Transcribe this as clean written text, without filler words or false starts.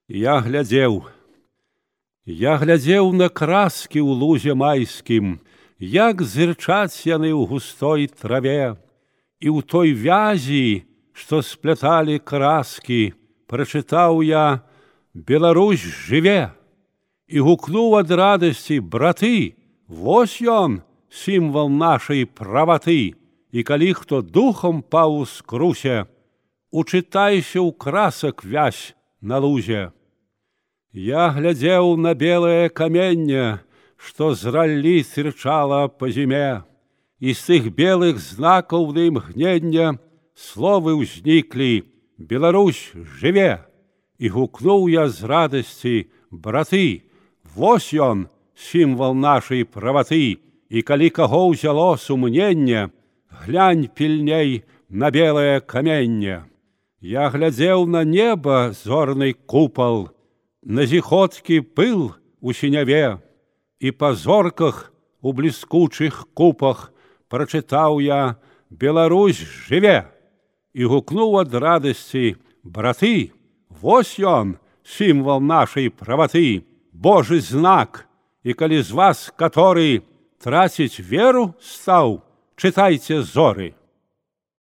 Я глядзеў на краскі ў лузе майскім, як зырчаць яны ў густой траве, і ў той вязі, што спляталі краскі, прачытаў я: «Беларусь жыве!» і гукнуў ад радасці: «Браты, вось ён, сімвал нашай праваты, і калі хто духом паў у скрусе, учытайся ў красак вязь на лузе». Я глядзеў на белае каменне, што з раллі тырчала па зіме, і з тых белых знакаў на імгнення словы ўзніклі: «Беларусь жыве!» І гукнуў я з радасці: «Браты, вось ён, сімвал нашай праваты, і калі каго ўзяло сумненне, глянь пільней на белае каменне». Я глядзеў на неба зорны купал, на зіхоткі пыл у сіняве, і па зорках у бліскучых купах прачытаў я: «Беларусь жыве!» і гукнуў ад радасці: «Браты, вось ён, сімвал нашай праваты, Божы знак, і калі з вас каторы траціць веру стаў, чытайце зоры».